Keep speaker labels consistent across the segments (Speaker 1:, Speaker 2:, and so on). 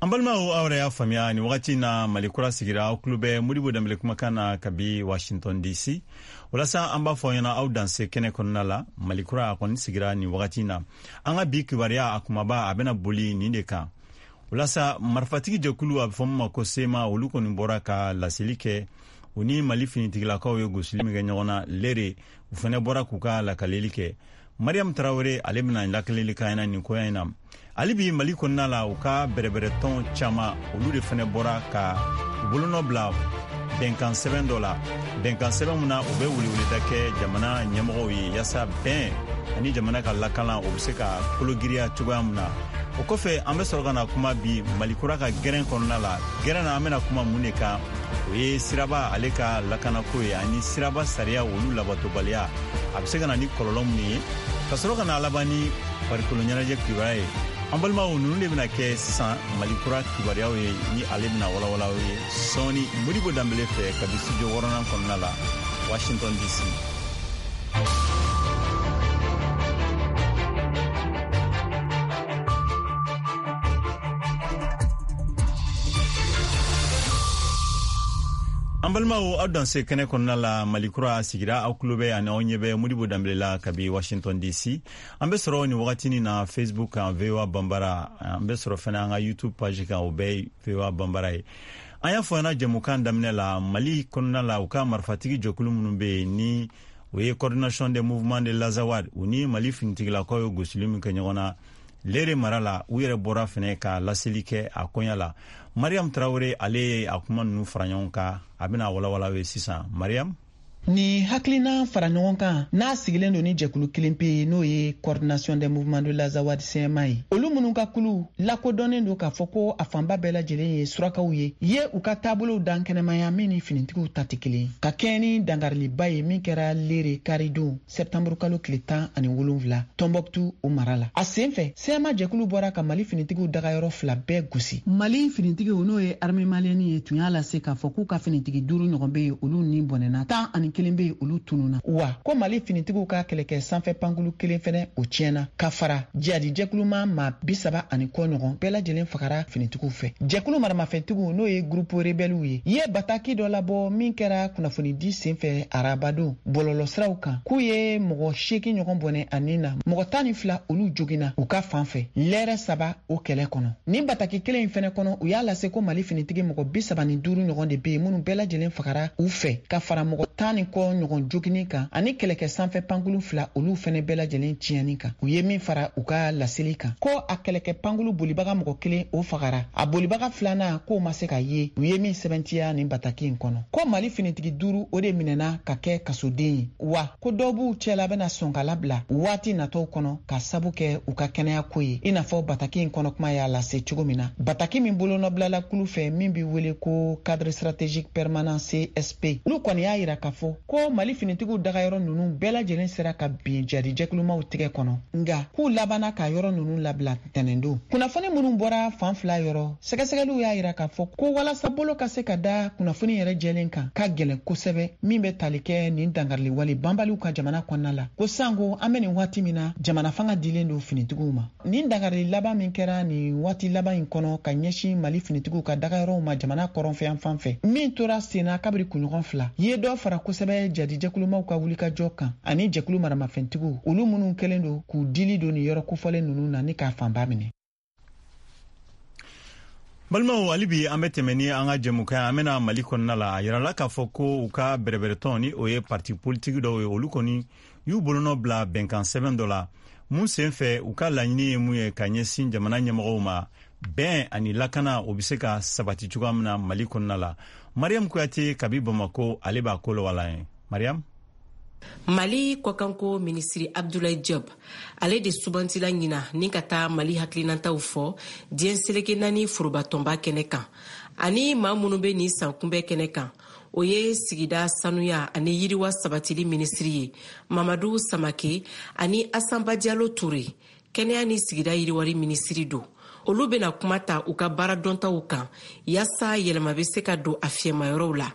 Speaker 1: An balimaw, aw yɛrɛ y'a faamuya, nin wagati na Mali Kura sigira. Aw tulo bɛ Modibo Danbele kumakan na kabi Washington DC. Walasa an b'a fɔ ɲɛna, aw danse kɛnɛ kɔnɔna la. Mali Kura a kɔni sigira nin wagati na. An ka bi kibaruya a kumaba, a bɛna boli nin de kan. Walasa marifatigi jɛkulu, a bɛ fɔ min ma ko CMA, olu kɔni bɔra ka laseli kɛ. U ni Mali finitigilakaw ye gosili min kɛ ɲɔgɔn na Lere, u fɛnɛ bɔra k'u ka lakaleli kɛ. Mariam Tarawele, ale bɛna lakaleli k'an ɲɛna nin koya in na. Hali bi Mali kɔnɔna la, u ka bɛrɛbɛrɛtɔn caman, olu de fɛnɛ bɔra ka u bolonɔ bila bɛnkan sɛbɛn dɔ la, bɛnkan sɛbɛn min na u bɛ weleweleda kɛ jamana ɲɛmɔgɔw ye, yaasa bɛn ani jamana ka lakalan, o bɛ se ka kologiriya cogoya min na. O kɔfɛ, an bɛ sɔrɔ ka na kuma bi Mali Kura ka gɛrɛn kɔnɔna la. Gɛrɛn na, an bɛna kuma mun de kan? O ye siraba ale ka lakanako ye, ani siraba sariya olu labatobaliya, a bɛ se ka na ni kɔlɔlɔ minnu ye, ka sɔrɔ ka na laban ni farikolo ɲɛnajɛ kibaruya ye. An balimaw, ninnu de bɛna kɛ sisan Mali Kura kibaruyaw ye, ni ale bɛna walawala ye sɔɔni Modibo Danbele fɛ kabi studio wɔɔrɔnan kɔnɔna la, Washington DC. An balimaw, aw danse kɛnɛ kɔnɔna la. Mali Kura sigira, aw tulo bɛ ani aw ɲɛ bɛ Modibo Danbele la kabi Washington DC. An bɛ sɔrɔ nin wagatinin na Facebook kan, VOA Banbara. An bɛ sɔrɔ fɛnɛ an ka YouTube page kan, o bɛɛ ye VOA Banbara ye. An y'a fɔ ɲɛna jɛmukan daminɛ la, Mali kɔnɔna la, u ka marifatigi jɛkulu minnu bɛ yen, ni o ye Coordination des mouvements de l'Azawad, u ni Mali finitigilakaw ye gosili min kɛ ɲɔgɔn na Lere mara la, u yɛrɛ bɔra fɛnɛ ka laseli kɛ a koɲa la. Mariam Tarawele, ale ye a kuma ninnu fara ɲɔgɔn kan, a bɛna walawala ye sisan. Mariam.
Speaker 2: Ni hakilina fara ɲɔgɔn kan n'a sigilen don ni jɛkulu kelen pe ye, n'o ye Coordination des mouvements de l'Azawad, CMA ye, olu minnu ka kulu lakodɔnnen don k'a fɔ ko a fanba bɛɛ lajɛlen ye surakaw ye u ka taabolow dan kɛnɛmaya min ni finitigiw ta tɛ kelen, ka kɛɲɛ ni dangariliba ye min kɛra Lere karidon, sɛptanburu kalo tile 17, Tɔnbɔkutu o mara la. A sen fɛ, CMA jɛkulu bɔra ka Mali finitigiw dagayɔrɔ fila bɛɛ gosi. Mali finitigiw, n'o ye armée malienne ye, tun y'a lase k'a fɔ k'u ka finitigi duuru ɲɔgɔn bɛ yen, olu ni bɔnɛna, 11 bɛ yen, olu tununa, wa ko Mali finitigiw ka kɛlɛkɛ sanfɛ pankulu kelen fɛnɛ, o tiɲɛna, ka fara jihadi jɛkuluma maa 30 ani kɔ ɲɔgɔn bɛɛ lajɛlen fagara finitigiw fɛ. Jɛkulu maramafɛntigiw, n'o ye groupe rebɛliw ye bataki dɔ labɔ min kɛra kunnafonidi senfɛ arabadon bɔlɔlɔsiraw kan, k'u ye mɔgɔ 8 ɲɔgɔn bɔnɛ a nin na, mɔgɔ 12 olu joginna u ka fan fɛ lɛrɛ 3 o kɛlɛ kɔnɔ. Nin bataki kelen in fɛnɛ kɔnɔ, u y'a lase ko Mali finitigi mɔgɔ 35 ɲɔgɔn de be yen minnu bɛɛ lajɛlen fagara u fɛ, ka fara mɔgɔ 10 ni kɔ ɲɔgɔn jogini kan, ani kɛlɛkɛ sanfɛ pankulu fila, olu fɛnɛ bɛɛ lajɛlen tiɲɛni kan. U ye min fara u ka laseli kan, ko a kɛlɛkɛ pankulu bolibaga mɔgɔ kelen, o fagara, a bolibaga filanan k'o ma se ka ye. U ye min sɛbɛntiya nin bataki in kɔnɔ, ko Mali finitigi duuru, o de minɛna ka kɛ kasoden ye, wa ko dɔw b'u cɛla bɛna sɔn ka labila waati natɔw kɔnɔ ka sabu kɛ u ka kɛnɛya ko ye, i n'a fɔ bataki in kɔnɔ kuma y'a lase cogo min na. Bataki min bolonɔbilala kulu fɛ min bi wele ko Cadre stratégique permanent, CSP, olu kɔni y'a yira k'a fɔ ko Mali finitigiw dagayɔrɔ ninnu bɛɛ lajɛlen sera ka bin jadi jɛkulumaw tigɛ kɔnɔ, nga k'u labanna ka yɔrɔ ninnu labila tɛnɛndon. Kunnafoni minnu bɔra fan fila yɔrɔ, sɛgɛsɛgɛliw y'a yira k'a fɔ ko walasa bolo ka se ka da kunnafoni yɛrɛ jɛlen kan ka gɛlɛn kosɛbɛ, min bɛ tali kɛ nin dangariliwale banbaliw ka jamana kɔnɔna la, ko sanko an bɛ nin waati min na, jamana fanga dilen don finitigiw ma. Nin dangarili laban min kɛra nin waati laban in kɔnɔ ka ɲɛsin Mali finitigiw ka dagayɔrɔw ma jamana kɔrɔnfɛyan fan fɛ, min tora senna kabiri kunɲɔgɔn 2, ye dɔ fara kosɛbɛ jadijɛkulumaw ka wulikajɔ kan, ani jɛkulu maramafɛntigiw, olu minnu kɛlen don k'u dili don nin yɔrɔ kofɔlen ninnu na ni k'a fanba minɛ.
Speaker 1: Balimaw, hali bi an bɛ tɛmɛ ni an ka jɛmukan. An bɛna Mali kɔnɔna la. A yirala k'a fɔ ko u ka bɛrɛbɛrɛtɔn, ni o ye parti politiki dɔw ye, olu kɔni y'u bolonɔ bila bɛnkan sɛbɛn dɔ la mun sen fɛ, u ka laɲini ye mun ye ka ɲɛsin jamana ɲɛmɔgɔw ma, bɛn ani lakana, o bɛ se ka sabati cogoya min na Mali kɔnɔna la. Mariam Kuyate kabi Bamako, ale b'a ko lawala ye. Mariam.
Speaker 3: Mali kɔkanko minisiri Abdoulaye Diop, ale de sugantila ɲina ni ka taa Mali hakilinataw fɔ diɲɛ seleke naani forobatɔnba kɛnɛ kan. Ani maa minnu bɛ nin san kunbɛ kɛnɛ kan, o ye sigida sanuya ani yiriwa sabatili minisiri ye, Mamadu Samake, ani Asanba Jalo Ture, kɛnɛya ni sigida yiriwari minisiri don. Olu bena kuma ta u ka baara dɔntaw kan yaasa yɛlɛma be se ka don a fiyɛmayɔrɔw la.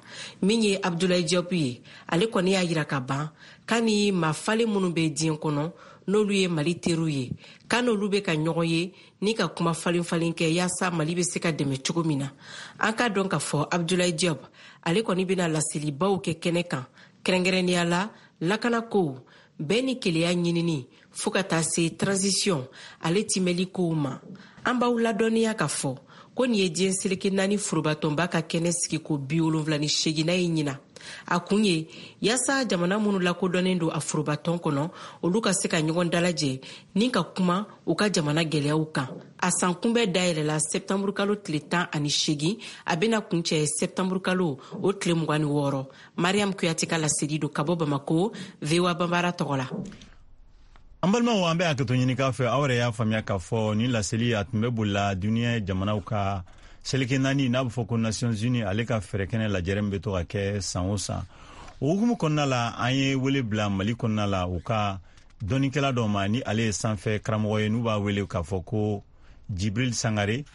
Speaker 3: Min ye Abdoulaye Diop ye, ale kɔni y'a yira ka ban k'a ni maa falen minnu bɛ diɲɛ kɔnɔ, n'olu ye Mali teriw ye, k'a n'olu bɛ ka ɲɔgɔn ye ni ka kuma falen-falen kɛ yaasa Mali bɛ se ka dɛmɛ cogo min na. An k'a dɔn k'a fɔ Abdoulaye Diop ale kɔni bɛna laselibaw kɛ kɛnɛ kan, kɛrɛnkɛrɛnnenya la lakanakow, bɛn ni keleya ɲinini fo ka taa se transition ale timɛli kow ma. An b'aw ladɔnniya k'a fɔ ko nin ye diɲɛ seleke 4 forobatɔnba ka kɛnɛ sigi ko 78nan ye ɲina. A kun ye yaasa jamana minnu lakodɔnnen don a forobatɔn kɔnɔ, olu ka se ka ɲɔgɔn dalajɛ ni ka kuma u ka jamana gɛlɛyaw kan. A san kunbɛ dayɛlɛla sɛptanburu kalo tile 18, a bɛna kuncɛ sɛptanburu kalo o tile 26. Mariam Kuyate ka laseli don ka bɔ Bamako, VOA Banbara tɔgɔ la.
Speaker 1: An balimaw, an bɛ hakɛto ɲini k'a fɛ. Aw yɛrɛ y'a faamuya k'a fɔ nin laseli a tun bɛ bolila duniɲɛ jamanaw ka seleke 4, n'a bɛ fɔ ko Nations Unies, ale ka fɛɛrɛkɛnɛ lajɛrɛ min bɛ to ka kɛ san o san. O hukumu kɔnɔna la, an ye wele bila Mali kɔnɔna la u ka dɔnnikɛla dɔ ma, ni ale ye sanfɛ karamɔgɔ ye, n'u b'a wele k'a fɔ ko Jibril Sangare.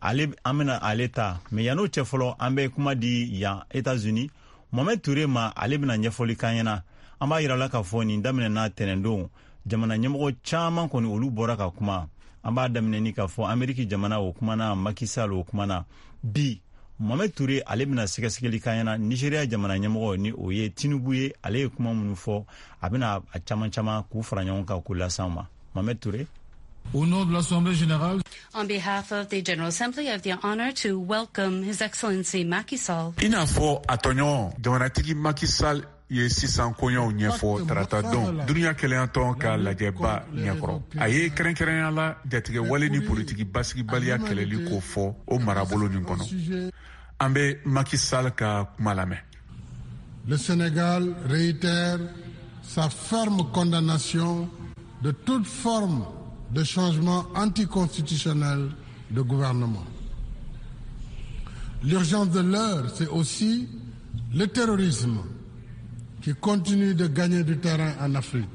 Speaker 1: Ale, an bɛna ale ta, mais yann'o cɛ fɔlɔ, an bɛ kuma di yan États-Unis Mohamed Touré ma. Ale bɛna ɲɛfɔli k'an ɲɛna. An b'a yira la k'a fɔ nin daminɛna tɛnɛndon. Jamana ɲɛmɔgɔ caman kɔni, olu bɔra ka kuma. An b'a daminɛ ni k'a fɔ Ameriki jamana, o kumana, Macky Sall, o kumana bi. Mohamed Touré, ale bɛna sɛgɛsɛgɛli k'an ɲɛna Nigeria jamana ɲɛmɔgɔ, ni o ye Tinubu ye, ale ye kuma minnu fɔ, a bɛna a caman caman k'u fara ɲɔgɔn kan k'u las'an ma. Mohamed Touré.
Speaker 4: Au nom de l'Assemblée générale,
Speaker 5: On behalf of the General Assembly, I have the honor to welcome His Excellency Macky Sall.
Speaker 6: I n'a fɔ a tɔɲɔgɔn, jamanatigi Macky Sall ye sisan koɲɛw ɲɛfɔ tarata don duniɲa kelenyatɔn ka lajɛba ɲɛkɔrɔ. A ye kɛrɛnkɛrɛnya la jatigɛ wale ni politiki basigibaliya kɛlɛli ko fɔ o marabolo nin kɔnɔ. An bɛ Macky Sall ka kuma lamɛn.
Speaker 4: Le Sénégal réitère sa ferme condamnation de toute forme de changement anticonstitutionnel de gouvernement. L'urgence de l'heure, c'est aussi le terrorisme qui continue de gagner du terrain en Afrique.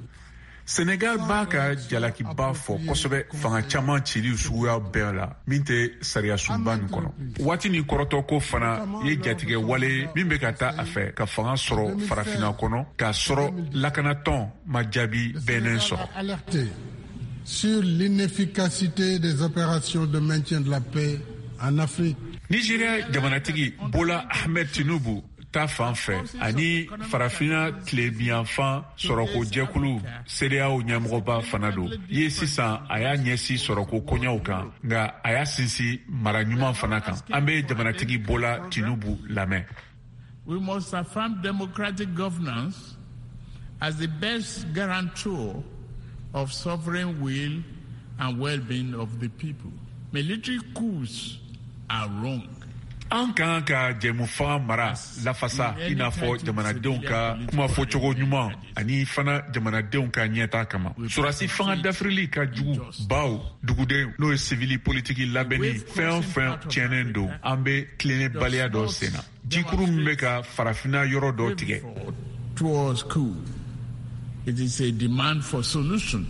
Speaker 6: Senegal b'a ka jalakiba fɔ kosɛbɛ fanga caman cili suguya bɛɛ la min tɛ sariyasunba nin kɔnɔ. Waati ni kɔrɔtɔko fana ye jatigɛ wale min bɛ ka taa a fɛ ka fanga sɔrɔ Farafina kɔnɔ, k'a sɔrɔ lakanatɔn ma jaabi bɛnnen sɔrɔ.
Speaker 4: Alerté sur l'inefficacité des opérations de maintien de la paix en Afrique.
Speaker 6: Nigeria jamanatigi Bola Ahmed Tinubu ta fan fɛ, ani Farafina tilebiyanfan sɔrɔko jɛkulu CEDEAO ɲɛmɔgɔba fana don ye, sisan a y'a ɲɛsin sɔrɔko koɲɛw kan, nka a y'a sinsin mara ɲuman fana kan. An bɛ jamanatigi Bola Tinubu lamɛn.
Speaker 7: We must affirm democratic governance as the best guarantor of sovereign will and well-being of the people. Military coups are wrong.
Speaker 6: An kan ka jɛmufaga mara lafasa, i n'a fɔ jamanadenw ka kumafɔcogo ɲuman ani fana jamanadenw ka ɲɛta kama. Sɔrɔdasi fanga dafirili ka jugu, baw duguden, n'o ye sivili politiki labɛnni fɛn o fɛn tiɲɛnen don. An bɛ tilennebaliya dɔ sen na, jikuru min bɛ ka Farafina yɔrɔ dɔ tigɛ.
Speaker 7: Towards coup. It is a demand for solution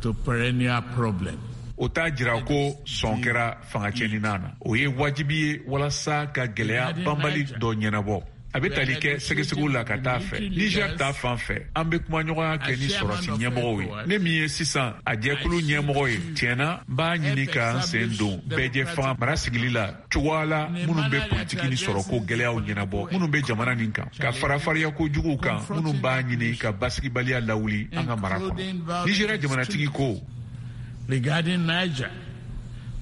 Speaker 7: to perennial problem.
Speaker 6: O t'a jira ko sɔn kɛra fanga cɛnina na. O ye wajibi ye walasa ka gɛlɛya banbali dɔ ɲɛnabɔ. A bɛ tali kɛ sɛgɛsɛgɛw la ka taa fɛ. Niger ta fan fɛ, an bɛ kumaɲɔgɔnya kɛ ni sɔrɔsi ɲɛmɔgɔw ye. Ne min ye sisan a jɛkulu ɲɛmɔgɔ ye, tiɲɛna, n b'a ɲini k'an sen don bɛɛjɛ fanga mara sigili la cogoya la minnu bɛ politiki ni sɔrɔko gɛlɛyaw ɲɛnabɔ minnu bɛ jamana nin kan, ka fara fariyako juguw kan minnu b'a ɲini ka basigibaliya lawuli an ka mara kɔnɔ. Nigeria jamanatigi ko.
Speaker 7: Regarding Niger,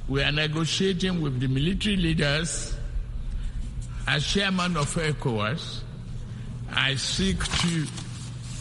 Speaker 7: we are negotiating with the military leaders. As chairman of ECOWAS, I seek to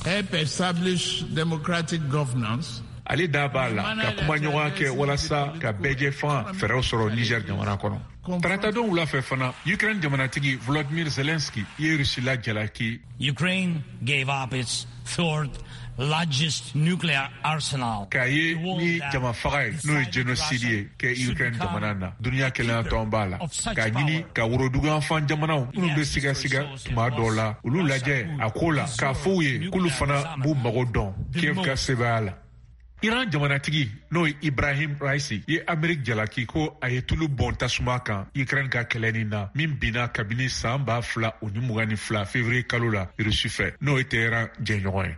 Speaker 7: help establish democratic governance.
Speaker 6: Ale da b'a la ka kumaɲɔgɔnya kɛ walasa ka bɛɛjɛ fanga fɛɛrɛw sɔrɔ Niger jamana kɔnɔ. Taratadon wula fɛ fana, Ukraine jamanatigi Volodymyr Zelensky ye Rusila jalaki.
Speaker 8: Ukraine gave up its third largest nuclear arsenal.
Speaker 6: K'a ye ni jama faga ye, n'o ye génocide ye kɛ Ukraine jamana na. Duniya kelenya tɔn b'a la k'a ɲini ka woroduguyanfan jamanaw minnu bɛ sigasiga tuma dɔw la, olu lajɛ a ko la, k'a fɔ u ye k'olu fana b'u mago dɔn Kiev ka sebaaya la. Iran jamanatigi, n'o ye Ibrahim Raisi ye, Amerik jalaki ko a ye tulu bɔn tasuma kan Ukraine ka kɛlɛ nin na min binna kabini san 2022 février kalo la Rusi fɛ, n'o ye Teheran jɛɲɔgɔn ye.